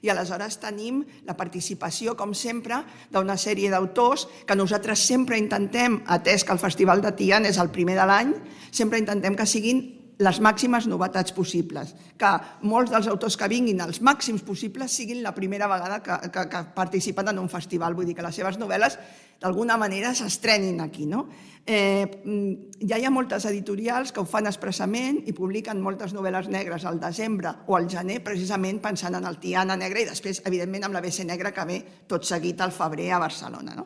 I aleshores tenim la participació, com sempre, d'una sèrie d'autors que nosaltres sempre intentem, atès que el Festival de Tiana és el primer de l'any, sempre intentem que siguin les màximes novetats possibles, que molts dels autors que vinguin, els màxims possibles, siguin la primera vegada que participen en un festival, vull dir que les seves novel·les d'alguna manera s'estrenin aquí. Ja hi ha moltes editorials que ho fan expressament i publiquen moltes novel·les negres al desembre o al gener, precisament pensant en el Tiana Negre i després, evidentment, amb l'ABC Negre que ve tot seguit al febrer a Barcelona.